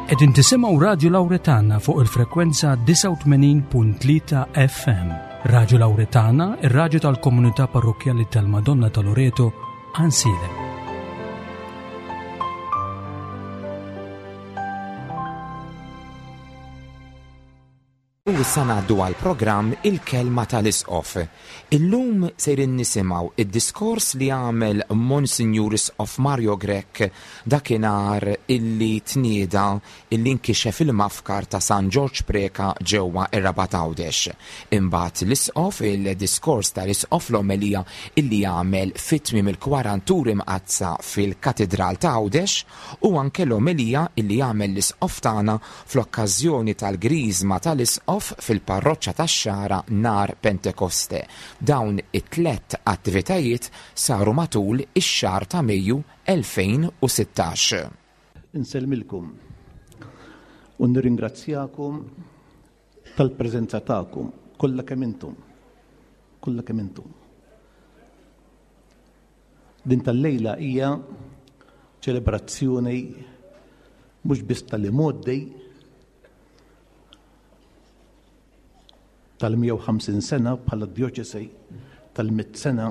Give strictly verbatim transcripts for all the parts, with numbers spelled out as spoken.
Qegħdin tisimgħu Radju Lawretana fuq il-frekwenza disgħa u tmenin punt tlieta F M. Radju Lawretana, ir-radju tal-Komunità Parrokkjali tal-Madonna ta' Loreto, Għajnsielem. U issa ngħaddu għal programm Il-Kelma tal-Isqof. Illum sejrin nisimgħu id-diskors li għamel Monsinjur Isqof Mario Grech dakinhar illi tnieda, illi nkixef il-mafkar ta' San Ġorġ Preka ġewwa ir-Rabat Għawdex. Imbagħad l-Isqof, il-diskors tal-Isqof, l-omelija illi għamel fit-tmiem il-Kwaranturi Mqaddsa fil-Katedral ta' Għawdex u anke l-omelija illi għamel l-Isqof tagħna fl-okkażjoni tal-Griżma tal-Isqof fil-parroċċa tax-Xagħra nhar Pentekoste. Dawn it-tlet attivitajiet saru matul ix-xahar ta' Mejju elfejn u sittax. Insellmilkom u nirringrazzjakom tal-preżenza tagħkom kollha kemm intom. Kollha kemm intom. Din tal-lejla hija ċelebrazzjoni mhux biss tal-imgħoddi, tal-mija u ħamsin sena bħala djoċesi, tal-mitt sena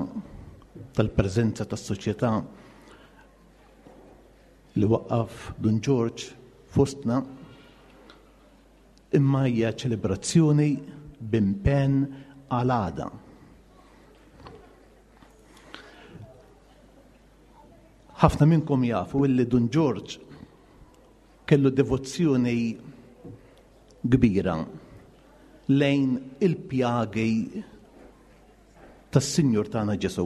tal-preżenza tas-soċjetà li waqqaf Dun Ġorġ fostna, imma hija ċelebrazzjoni b'impenn għal għada. Ħafna minnkom jafu illi Dun Ġorġ kellu devozzjoni kbira lejn il-pjagi tas-Sinjur tagħna Ġesù.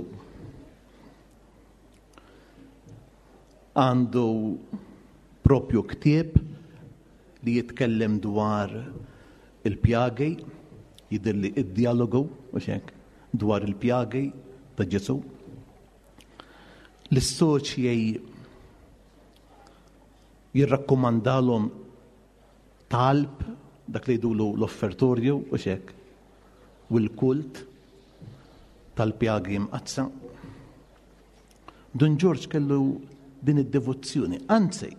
Għandu propju ktieb li jitkellem dwar il-pjagi, jidhirli id-dialogu, u hekk, dwar il-pjagi ta' Ġesù. L-soċjej jirrakkomandalhom talb, dak li jgħidulu l-offertorju, u hekk, u l-kult tal-pjagi mqaddsa. Dun Ġorġ kellu din id-devozzjoni. Anzi,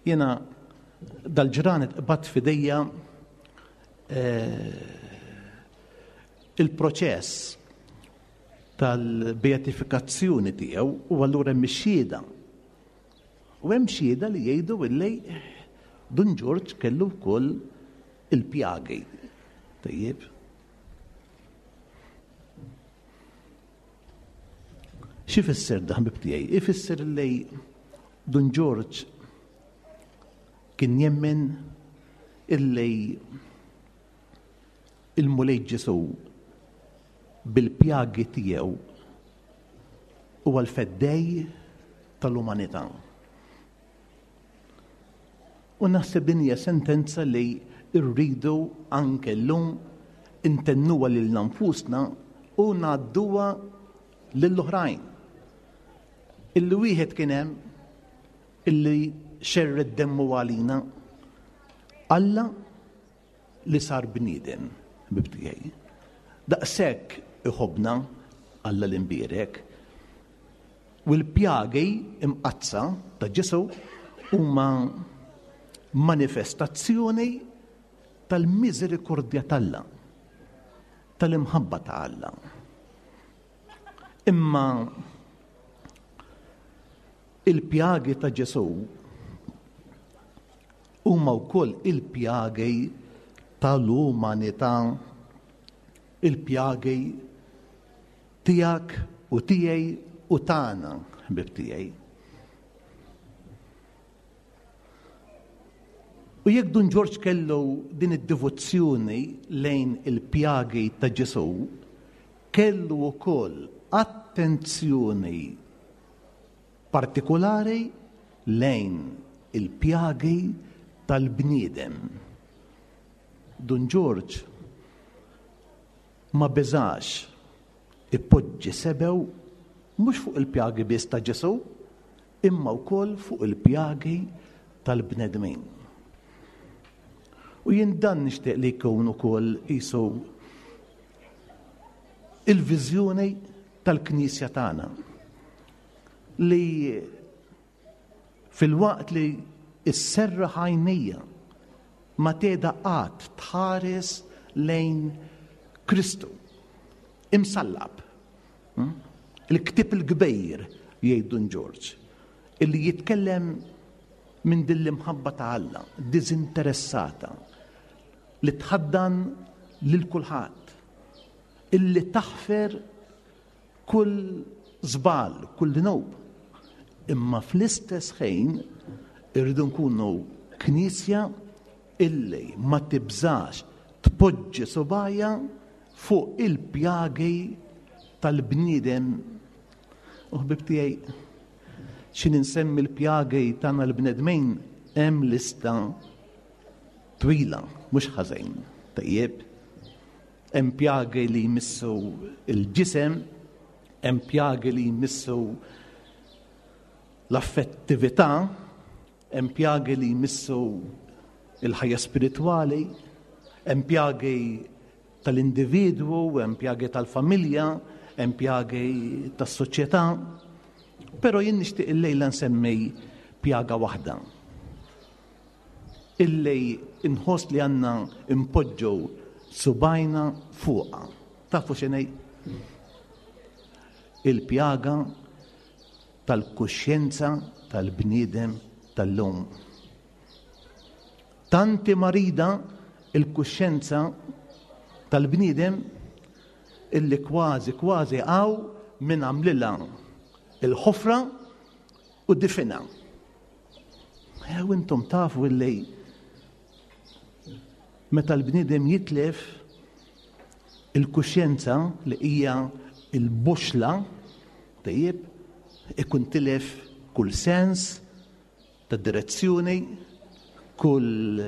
jena dal-ġranet qbadt f'idejja eh, il-proċess tal-beatifikazzjoni tiegħu u allura hemm ix-xhieda. U hemm xhieda li jgħidu illi Dun Ġorġ kellu wkoll il-pjagi. Tajjeb. Xi fisser dan, ħbib tiegħi? Ifisser li Dun Ġorġ kien jemmen illi il-Mulej Ġesù bil-pjagi tiegħu huwa l-feddej tal-umanità. U naħseb din hija sentenza li rridu anke llum intennuha lil nfusna u ngħadduha lill-oħrajn. Illi wieħed kien hemm illi xerred demmu għalina, Alla li sar bniedem, ħbib tiegħi. Daqshekk iħobbna Alla l-imbierek. U l-pjagi imqaddsa ta' Ġesù huma manifestazzjoni tal-miżerikordja t'Alla, tal-imħabba ta' Alla. Imma il-pjagi ta' Ġesù huma wkoll il-pjagi tal-umanità, il-pjagi tiegħek u tiegħi u tagħna, ħbib tiegħi. U jekk Dun Ġorġ kellu din id-devozzjoni lejn il-pjagi ta' Ġesù, kellu wkoll attenzjoni partikolari lejn il-pjagi tal-bniedem. Dun Ġorġ ma beżax ipoġġi sebew mhux fuq il-pjagi biss ta' Ġesù, imma wkoll fuq il-pjagi tal-bnedmin. U jien dan nixtieq li jkun ukoll qisu il-viżjoni tal-Knisja tagħna, li filwaqt li Isserraħ għajnejja ma tgħida qatt tħares lejn Kristu imsallab. Hmm? Il-ktieb il-kbir, jgħid Dun Ġorġ, illi jitkellem minn din l-imħabba ta' Alla, diżinteressata, li tħaddan lil kulħadd, illi taħfer kull żball, kull dnub. Imma fl-istess ħin irridu nkunu knisja illi ma tibżax tpoġġi subgħajha fuq il-pjagi tal-bniedem. U ħbib tiegħi, x'ħin insemmi l-pjagi tagħna l-bnedmin, hemm lista twila, mhux ħażin. Tajjeb, hemm pjagi li jmissu il-ġisem, hemm pjagi li jmissu l-affettività, hemm pjagi li jmissu il-ħajja spiritwali, hemm pjagi tal-individwu, hemm pjagi tal-familja, hemm pjagi tas-soċjetà. Però jien nixtieq illejla nsemmi pjaga waħda illi inħoss li għandna impoġġu subgħajna fuqha. Tafu x'inhi? Il-pjaga tal-kuxjenza tal-bniedem tal-lum. Tant hi marida il-kuxjenza tal-bniedem illi kważi kważi hawn min għamlilha il-ħofra u difinha. Ew intom tafu illi meta l-bniedem jitlef il-kuxjenza li hija il-boxla, tajjeb, ikun tilef kull sens ta' direzzjoni, kull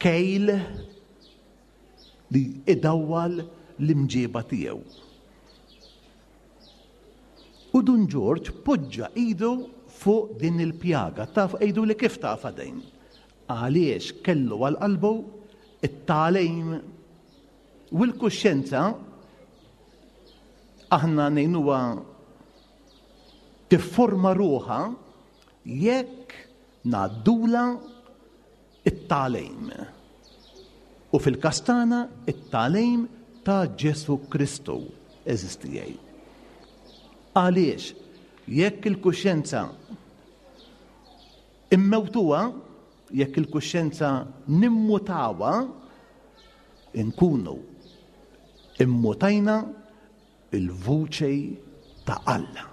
kejl li idawwal l-imġiba tiegħu. U Dun Ġorġ poġġa idu fuq din il-pjaga. Taf għidu li kif taf din? Għaliex kellu għal qalbu it-tagħlim u l-kuxjenza aħna ngħinuha tifforma ruħha jekk ngħaddulha it-tagħlim. U fil-każ tagħna it-tagħlim ta' Ġesu Kristu eżistijaj. Għaliex jekk il-kuxjenza immewtuha, jekk il-kuxjenza nimmutawha, inkunu immutajna il-vuċi ta' Alla.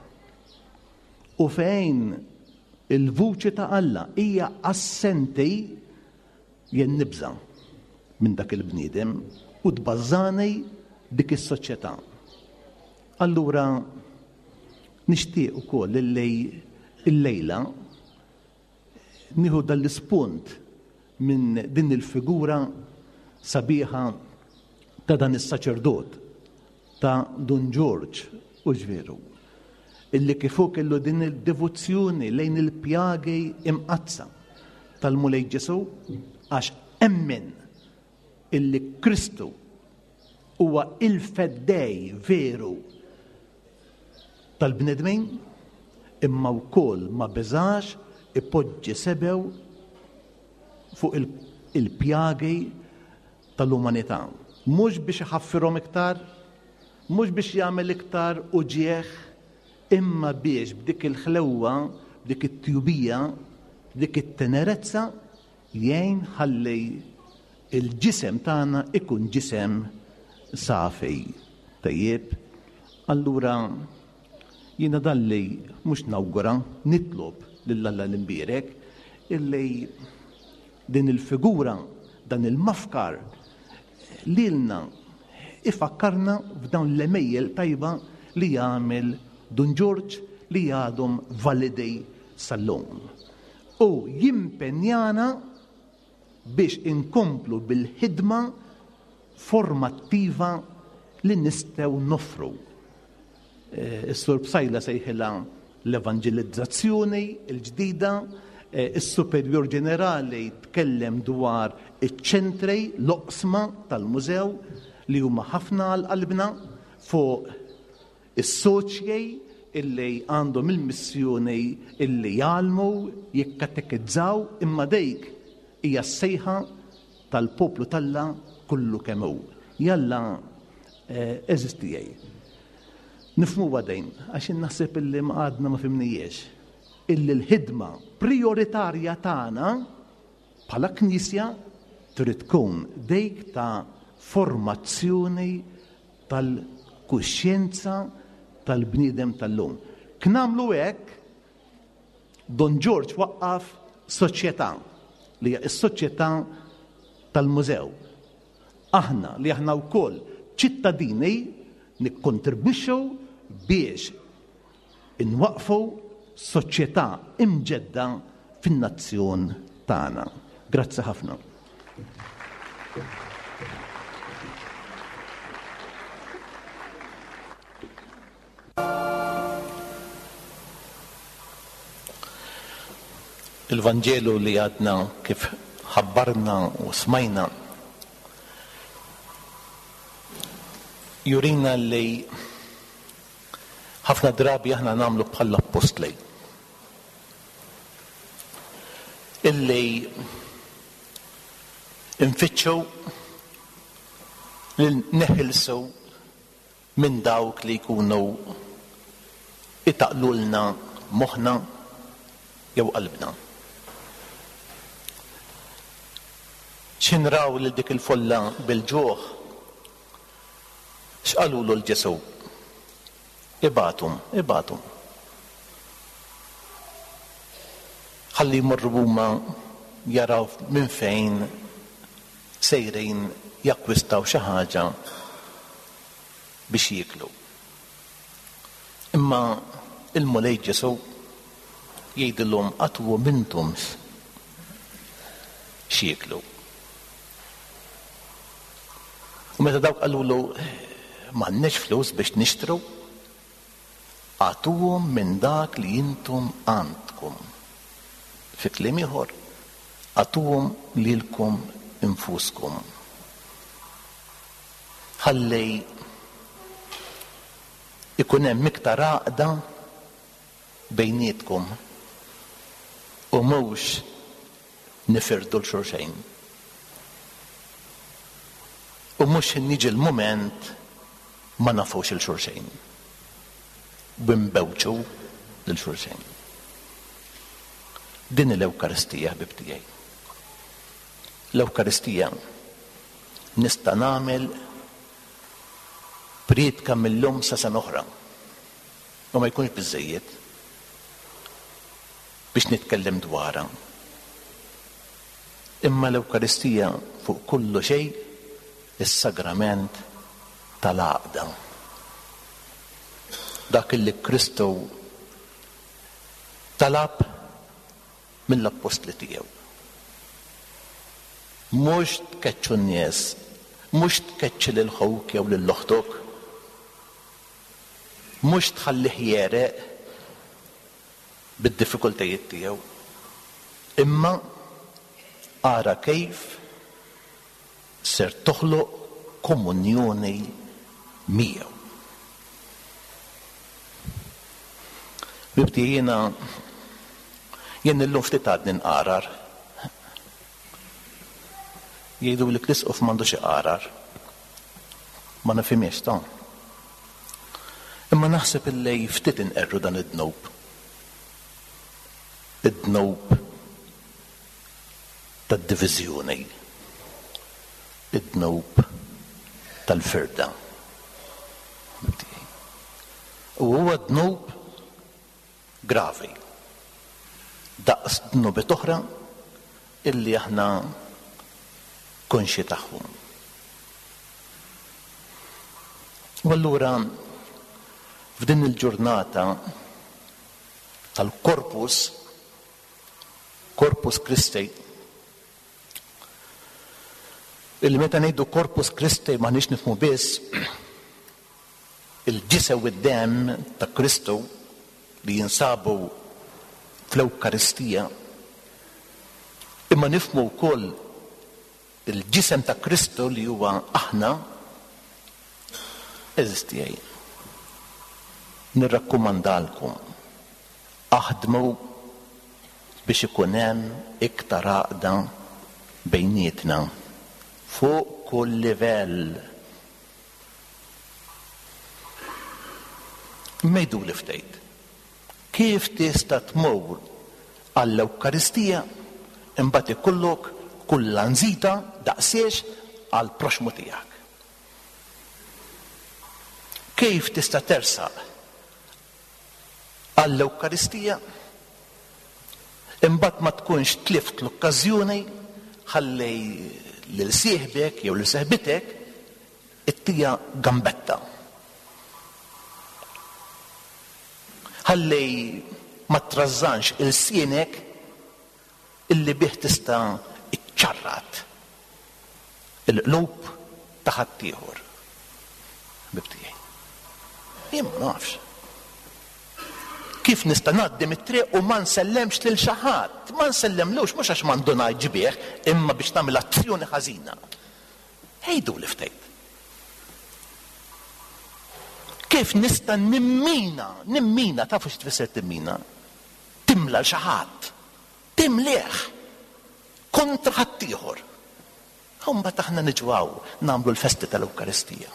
U fejn il-vuċi ta' Alla hija assenti, jien nibża' minn dak il-bniedem u tbażżani dik is-soċjetà. Allura nixtieq ukoll illi illejla nieħu dal-ispunt minn din il-figura sabiħa ta' dan is-saċerdot ta' Dun Ġorġ u ġveru, illi kif hu kellu din il-devozzjoni lejn il-pjagi imqaddsa tal-Mulej Ġesu, għax emmen illi Kristu huwa il-feddej veru tal-bnedmin, imma wkoll ma beżax ipoġġi sebgħu fuq il-pjagi tal-umanità. Mhux biex iħaffirhom iktar, mhux biex jagħmel iktar uġieħ, imma biex b'dik il-ħlewwa, b'dik it-tjubija, b'dik it-tenerezza jgħin ħalli il-ġisem tagħna ikun ġisem safi. Tajjeb, allura jiena dalli mhux nawgura, nitlob lil Alla l-imbierek illi din il-figura, dan il-mafkar lilna ifakkarna f'dawn l-għemejjel tajba li jagħmel Dun Ġorġ li għadhom validi sal-lum. U jimpenjana biex inkomplu bil-ħidma formattiva li nistgħu noffru. Is-Sur Psaila sejħilha l-evanġelizzazzjoni l-ġdida, is-Superjur Ġenerali tkellem dwar iċ-ċentri, l-oqsma tal-mużew li huma ħafna għal qalbna, fuq is-soċjej illi għandhom il-missjoni illi jgħallmu, jikkatekizzaw, imma dik hija s-sejħa tal-poplu t'Alla kollu kemm hu. Jalla għeżież tiegħi. Nifhmu għadejn, għax naħseb illi ma għadna ma fhimnihiex, illi l-ħidma prioritarja tagħna bħala Knisja trid tkun dik ta' formazzjoni tal-kuxjenza tal-bniedem tal-lum. K'namlu hekk, Dun Ġorġ waqqaf soċjetà li hija s-soċjetà tal-mużew. Aħna li aħna wkoll ċittadini nikkontribwixxu biex inwaqfu soċjetà imġedda fin-nazzjon tagħna. Grazzi ħafna. Il-Vanġelu li għadna kif ħabbarna u smajna jurina li ħafna drabi aħna nagħmlu bħall-appostli illi nfittxu li neħilsu minn dawk li jkunu itaqlulna moħħna jew qalbna. X'inraw lil dik il-folla bil-ġuħ? X'qalulu l Ġesù? Ibatum, ibatum. Ħalli jmorru huma jaraw minn fejn sejrin jakkwistaw xi ħaġa biex jieklu. Imma il-Mulej Ġesù jgħidilhom għatuhom intom x'jieklu. U meta dawk qalulu m'għandniex flus biex nixtru, għatuhom minn dak li intom għandkom. Fi kliem ieħor, għatuhom lilkom infuskom. Ħalli ikun hemm iktar għaqda bejnietkom u mhux nifirdu l xulxejn. U mhux niġi l-mument ma nafux il xulxejn. Bimbewċu lil xulxejn. Din l-Ewkaristija, ħbib tiegħi. L-Ewkaristija nista' nagħmel priedka mill-lum sa sena oħra. U ma jkunx biżżejjed biex nitkellem dwarha. Imma l-Ewkaristija fuq kullu xejn is-sagrament tal-għaqda. Dak li Kristu talab mill-appostli tiegħu. Mhux tkeċċu n-nies, mhux tkeċċi lil ħuk jew lil oħtok, mhux tħallih jereq bid-diffikultajiet tiegħu, imma ara kif ser toħloq komunjoni miegħu. Bibti jiena jien illum ftit għadni nqarar. Jgħidu li l-isqof m'għandux iqarar. Ma nifhimiex ta'. Imma naħseb illi ftit inqerru dan id-dnub. Id-dnub tad-diviżjoni. Id-dnub tal-firda. U huwa dnub gravi. Daqs dnubiet oħra illi aħna konxi tagħhom. U allura f'din il-ġurnata tal-Corpus, Corpus Christi, illi meta ngħidu Corpus Christi m'aħniex nifhmu biss il-ġisem u d-demm ta' Kristu li jinsabu fl-Ewkaristija, imma nifhmu wkoll il-ġisem ta' Kristu li huwa aħna, eżistijaj. Nirrakkomandalkom, aħdmu biex ikun hemm iktar għaqda bejnietna fuq kull livell. Mejdu li ftejt. Kif tista' tmur għall-Ewkaristija imbagħad ikollok kull lanżita daqsiex għall-proxmu tiegħek? Kif tista' tersaq għall-Ewkaristija imbagħad ma tkunx tlift l-okkażjoni ħalli lil sieħbek jew lil seħbitek ittija gambetta? Ħalli ma trażżanx il-sienek illi bih tista' iċċarrat il-qlub ta' ħaddieħor. Ħbib tiegħi. Jien ma nafx. Kif nista' ngħaddi mit-triq u ma nsellemx lil xi ħadd? Ma nsellemlux mhux għax m'għandu ngħid bih, imma biex tagħmel azzjoni ħażina. Ejdu li ftejt. Kif nista' nimmina, nimmina, tafu x'tfisser timmina? Timla l xi ħadd, timlih kontra ħaddieħor. Imbagħad aħna niġu hawn nagħmlu l-festi tal-Ewkaristija.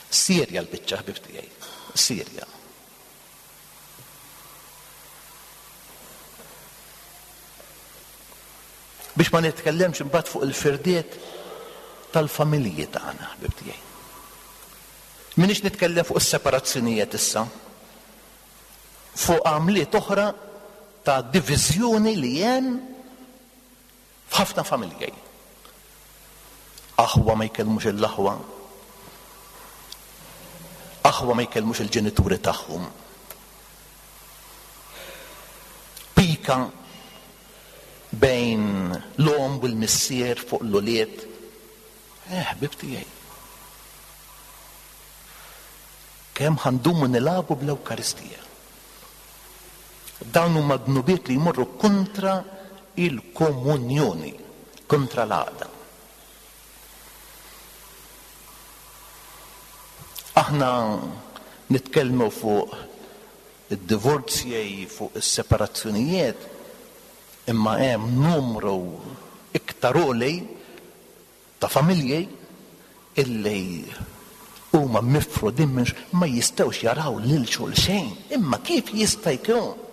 Sirja l-biċċa ħbib tiegħi, Sirja. Biex ma nitkellemx imbagħad fuq il-firdiet tal-familji tagħna, ħbib tiegħi. Minix nitkellem fuq is-separazzjonijiet issa, fuq għamliet oħra ta' diviżjoni li hemm f'ħafna familji. Aħwa ma jkellmux il-aħwa, aħwa ma jkellmux il-ġenituri tagħhom. Pika bejn l-omm u l-missier fuq l-ulied. Eh, ħbib tiegħi. Kemm ħandumu nilagħbu bl-Ewkaristija. Dawn huma dnubiet li jmorru kontra il-komunjoni, kontra l-għaqda. Aħna nitkellmu fuq id-divorzji, fuq is-separazzjonijiet, imma hemm numru iktar għoli ta' familji illi huma mifrudin minn ma jistgħux jaraw lil xulxejn. Imma kif jista' jkun?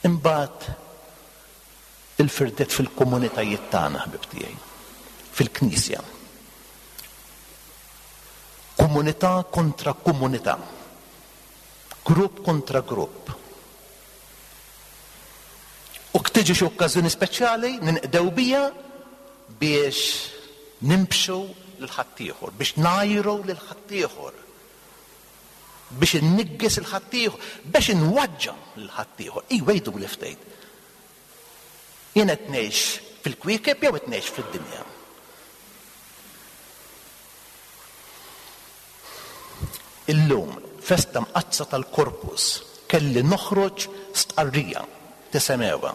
Imbagħad il-firdet fil-komunitajiet tagħna, ħbib tiegħi, fil-Knisja. Komunità kontra komunità, grupp kontra grupp. U tiġi xi okkażjoni speċjali ninqdew bija biex nimbxu lil ħaddieħor, biex ngħajru lil ħaddieħor, biex innigges il ħaddieħor, biex inwaġġa lil ħaddieħor. Iwa jgħidu li ftejt. Jien qed ngħix fil-kwiekeb jew qed ngħix fid-dinja? Illum, festa mqaddsa tal-Korpus, kelli noħroġ stqarrija tisemewha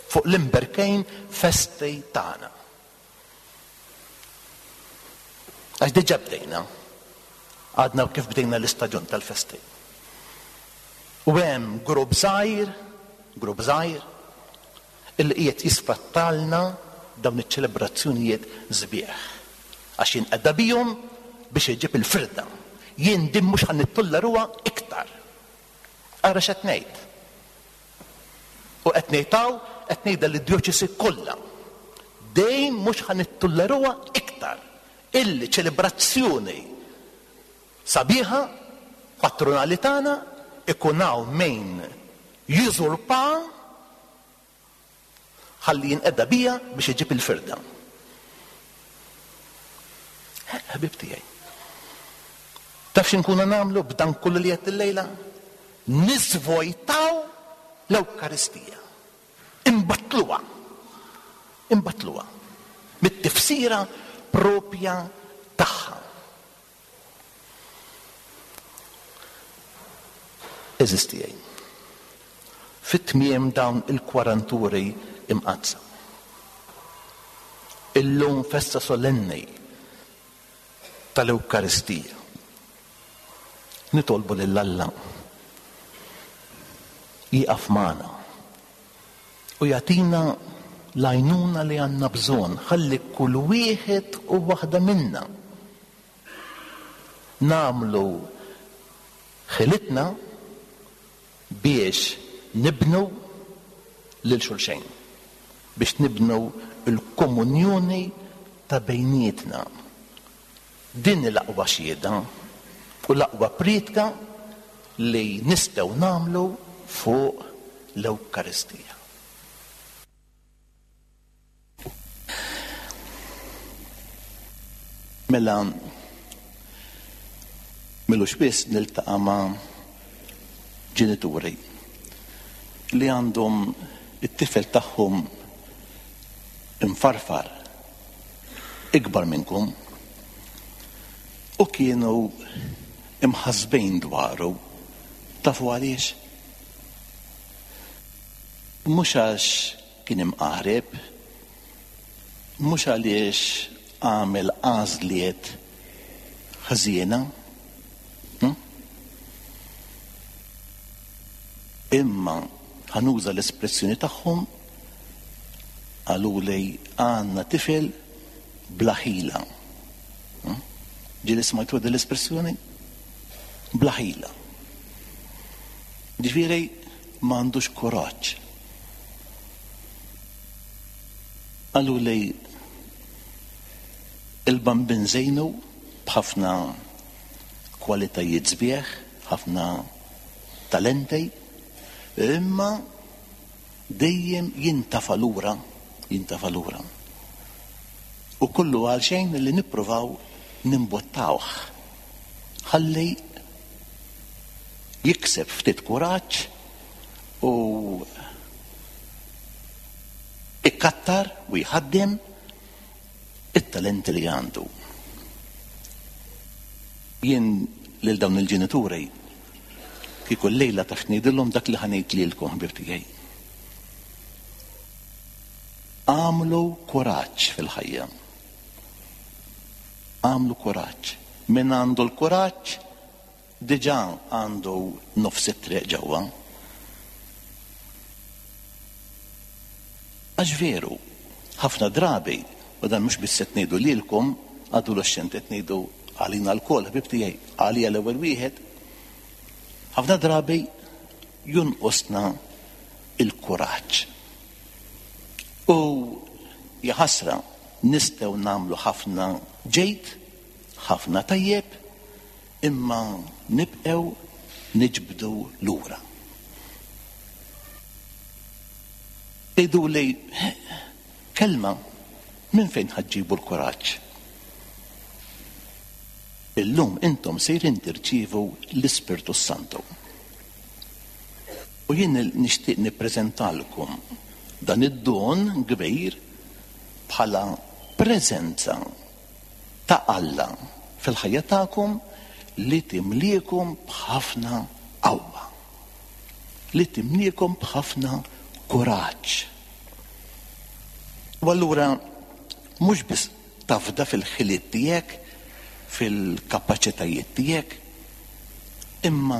fuq l-imberkejn festi tagħna. Għax diġà bdejna, għadna kif bdejna l-istaġun tal-festi. U hemm grupp żgħir, grupp żgħir, illi qiegħed jisfrattalna dawn iċ-ċelebrazzjonijiet sbieħ. Għax jinqeda bihom biex iġib il-firda. Jien din mhux ħa nittolleruha iktar. Ara x'qed ngħid. U qed ngħid hawn, qed ngħidha lid-djoċesi kollha. Dejjem mhux ħa nittolleruha iktar. Illi ċelebrazzjoni sabiħa patronali tagħna ikun hawn min jużurpa ħalli jinqeda bija biex iġib il-firda. Ħbib tiegħi. Taf x'inkunu nagħmlu b'dan kollu li qed illejla? Nisvojtaw l-Ewkaristija. Imbattluha. Imbattluha. Mit-tifsira propja tagħha. Eżis tiegħi. Fit-tmiem dawn il-kwaranturi imqaddsa. Illum festa solenni tal-Ewkaristija. Nitolbu lil Alla jieqaf magħna u jagħtina l-għajnuna li għandna bżonn, ħalli kull wieħed u waħda minna nagħmlu ħilitna biex nibnu lil xulxejn, biex nibnu l-komunjoni ta' bejnietna. Din l-aqwa xhieda u l-aqwa prietka li nistgħu nagħmlu fuq l-Ewkaristija. Mela m'ilux biss niltaqa' ma' ġenituri li għandhom it-tifel tagħhom imfarfar ikbar minnkom u kienu imħasbin dwaru. Tafu għaliex? Mhux għax kien imqareb, mhux għaliex għamel għażliet ħażiena, imma ħanuża l-espressjoni tagħhom, qalu li għandna tifel bla ħila. Ġieli smajtu din l-espressjoni? Bla ħila. Ġifieri m'għandux kuraġġ. Qalu li il-bambin żejnu b'ħafna kwalitajiet sbieħ, ħafna talenti, imma dejjem jintafa' lura, jintafa' lura. U kollu għal xejn li nippruvaw nimbottawh ħalli jikseb ftit kuraġġ u ikkattar u jħaddem it-talenti li għandu. Jien lil dawn il-ġenituri kieku llejla taf ngħidilhom dak li ħanejt lilkom, ħbieb tiegħi. Għamlu kuraġġ fil-ħajja. Għamlu kuraġġ. Min għandu l-kuraġġ diġà għandu nofs it-triq ġewwa. Għax veru, ħafna drabi, u dan mhux biss qed ngħidu lilkom, adolescenti, qed ngħidu għalina lkoll, ħbieb tiegħi, għalija l-ewwel wieħed, ħafna drabi jonqosna il-kuraġġ. U jaħasra nistgħu nagħmlu ħafna ġejt, ħafna tajjeb, imma nibqgħu niġbdu lura. Tgħidu li kelma minn fejn ħaġġibu l-kuraġġ? Illum intom sejrin tirċievu l-Ispirtu Santu. U jien nixtieq nippreżentalkom dan id-don kbir bħala preżenza ta' Alla fil-ħajja tagħkom li timliekom b'ħafna qawwa, li timliekom b'ħafna kuraġġ. U allura mhux biss tafda fil-ħiliet tiegħek, fil-kapaċitajiet tiegħek, imma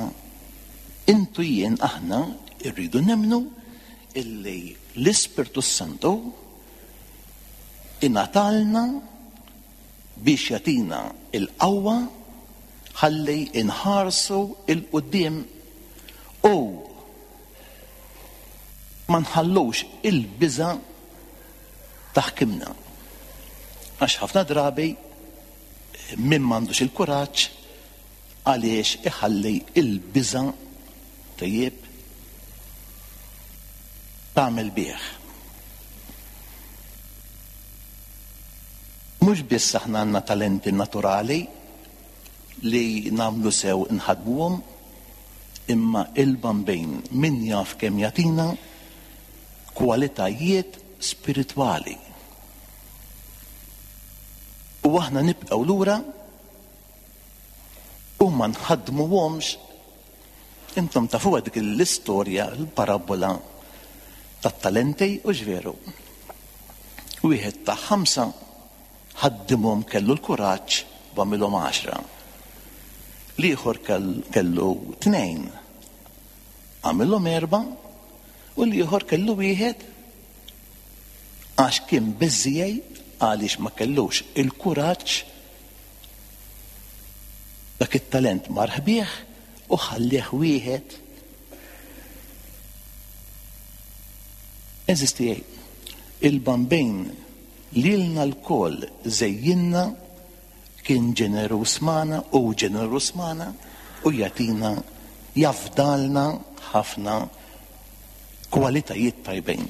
intu jien aħna rridu nemmnu illi l-Ispirtu Santu ingħatalna biex jagħtina l-qawwa ħalli inħarsu il-quddiem u ma nħallux il-biża' taħkimna. Għax ħafna drabi min m'għandux il-kuraġġ għaliex iħalli il-biża' tajjeb tagħmel bih. Mhux biss aħna għandna talenti naturali li nagħmlu sew nħadmuhom, imma il-bambin min jaf kemm jagħtina kwalitajiet spiritwali. U aħna nibqgħu lura u ma nħaddmuhomx. Intom tafuha dik l-istorja, l-parabola tat-talenti, u ġveru. Wieħed ta' ħamsa, Ħaddimhom, kellu l-kuraġġ u għamilhom għaxra. L-ieħor kellu tnejn, għamilhom erba', u l-ieħor kellu wieħed għax kien biżżejjed, għaliex ma kellux il-kuraġġ. Dak it-talent mar ħbih u ħallih wieħed. Eżisti, il-Bambin lilna lkoll żejjinna, kien ġenerus magħna u ġenerus magħna u jagħtina, jafdalna ħafna kwalitajiet tajbin.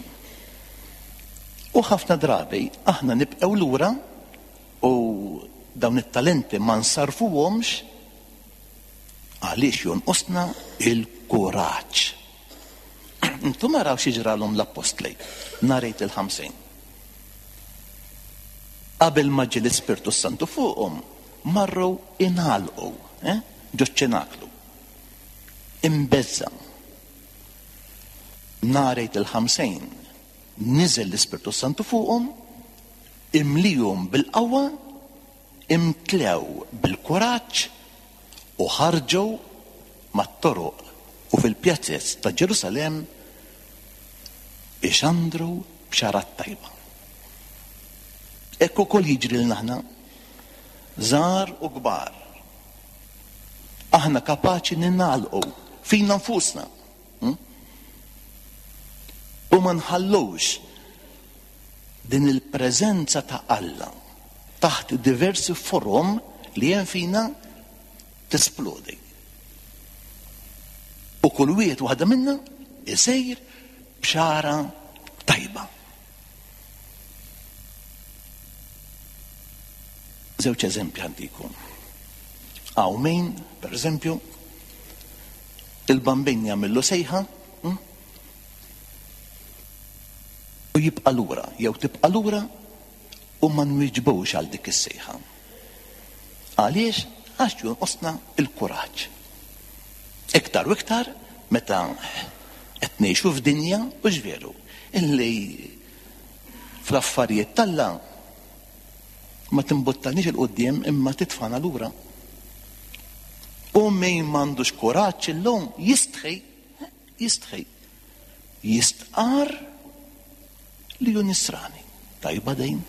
U ħafna drabi aħna nibqgħu lura u dawn it-talenti ma nsarfuhomx għaliex jonqosna il-kuraġġ. Intom araw xi ġralhom l-appostli nhar Għid il-Ħamsin. Qabel ma ġie l-Ispirtu Santu fuqhom, marru ingħalqu, eh, ġoċ-ċenaklu. Imbeżza. Nhar Għid il-Ħamsin niżel l-Ispirtu Santu fuqhom, imlihom bil-qawwa, imtlew bil-kuraġġ u ħarġu mat-toroq u fil-pjazzez ta' Ġerusalemm ixandru bxara tajba. Hekk ukoll jiġri lilna aħna, żgħar u kbar. Aħna kapaċi ningħalqu fina nfusna. Hm? U ma nħallux din il-preżenza ta' Alla taħt diversi forom li hemm fina tisplodi. U kull wieħed waħda minna isejr bxara tajba. Żewġ eżempji għandikom. Hawn min, per eżempju, il-Bambin jagħmillu sejħa, hm? u jibqa' lura, jew tibqa' lura u ma nwieġbux għal dik is-sejħa. Għaliex? Għax jonqosna il-kuraġġ. Iktar u iktar meta qed ngħixu f'dinja, u veru, illi fl-affarijiet t'Alla ma timbuttanix il-qudiem imma titfana lura. U min m'għandux kuraġġ illum jistħi, jistħi, jistqar li hu nisrani. Tajba dejn.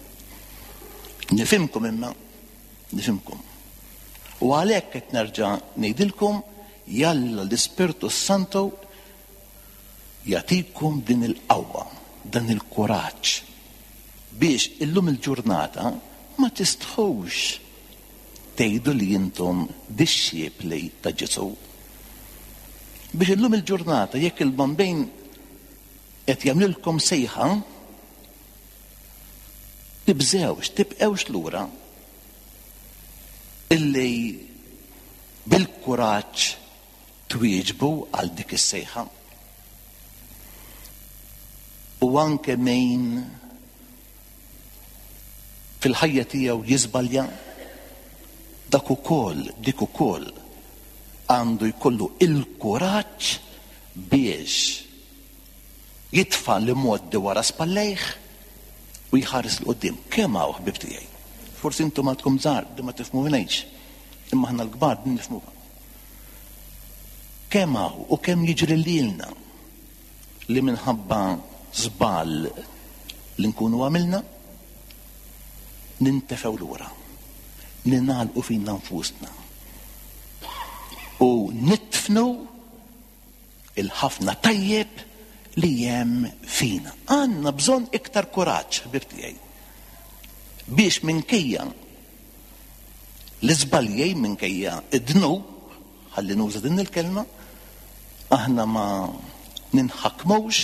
Nifhimkom imma, nifhimkom. U għalhekk qed nerġa' ngħidilkom, jalla l-Ispirtu Santu jagħtikom din il-qawwa, dan il-kuraġġ biex illum il-ġurnata ma tistħux tgħidu li intom dixxipli ta' Ġesù. Biex illum il-ġurnata jekk il-Bambin qed jagħmlilkom sejħa, tibżewx, tibqewx lura, illi bil-kuraġġ twieġbu għal dik is-sejħa. U anke min fil-ħajja tiegħu jiżbalja, dak ukoll, dik ukoll għandu jkollu il-kuraġġ biex jitfa' l-imgħoddi wara spallejh u jħares 'l quddiem. Kemm hawn ħbieb tiegħi? Forsi intom għadkom żgħar, di ma tifhmuniex, imma aħna l-kbar din nifhmuha. Kemm hawn u kemm jiġri lilna li minħabba żball li nkunu għamilna nintefgħu lura, ninagħlqu fina nfusna u nitfnu il-ħafna tajjeb li hemm fina. Għandna bżonn iktar kuraġġ, ħbieb tiegħi, biex minkejja l-iżbalji, minkejja id-dnub, ħalli nuża din il-kelma, aħna ma ninħakmux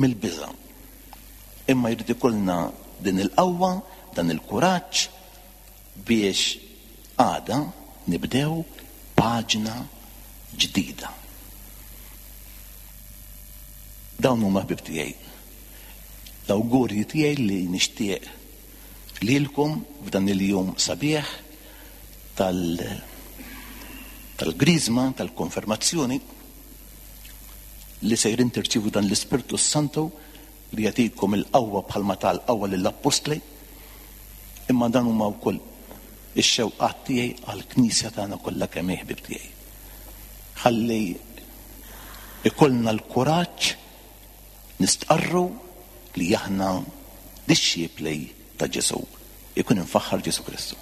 mill-biża'. Imma jrid ikollna din il-qawwa, dan il-kuraġġ biex għada nibdew paġna ġdida. Dawn huma ħbieb tiegħi l-awgurji tiegħi li nixtieq lilkom f'dan il-jum sabiħ tal- tal-Griżma, tal-Konfermazzjoni, li sejrin tirċievu dan l-Ispirtu Santu li jagħtikom il-qawwa bħalma tal-qawwa lill-Appostli, Imma dan huma wkoll ix-xewqat tiegħi għall-Knisja tagħna kollha kemm hi, ħbieb tiegħi. Ħalli ikollna l-kuraġġ nistqarru li aħna dixxipli ta' Ġesù. Ikun imfaħħar Ġesù Kristu.